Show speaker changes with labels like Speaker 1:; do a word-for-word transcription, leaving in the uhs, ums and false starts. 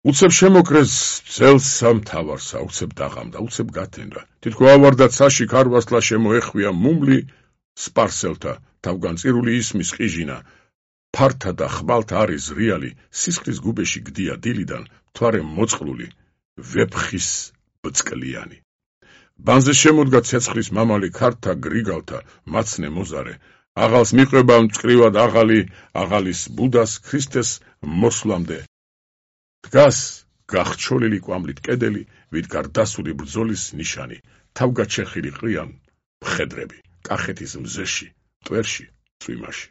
Speaker 1: უცებ შემოკრეს ძელს სამთავარსა, უცებ დაღამდა, უცებ გათენდა. თითქო ავარდა ცაში ქარვასლა შემოეხვია მუმლი სპარსელთა, თავგანწირული ისმის ყიჟინა. ფართა და ხმალთა არის ზრიალი, სისხლის გუბეში გდია დილიდან, მთვარე მოწყლული, ვეფხის ბწყლიანი. ბანზე შემოდგა ცეცხლის მამალი ქართა გრიგალთა, მაცნე მოზარე. აღალს მიყვება მწყრივად აღალი, აღალის ბუდას ქრისტეს მოსვლამდე. დგას გახჩოლილი კვამლით კედელი, ვიდგარ დასული ბრძოლის ნიშანი, თავგაჩეხილი ყრიან მხედრები, კახეთის მზეში, მტვერში, წვიმაში.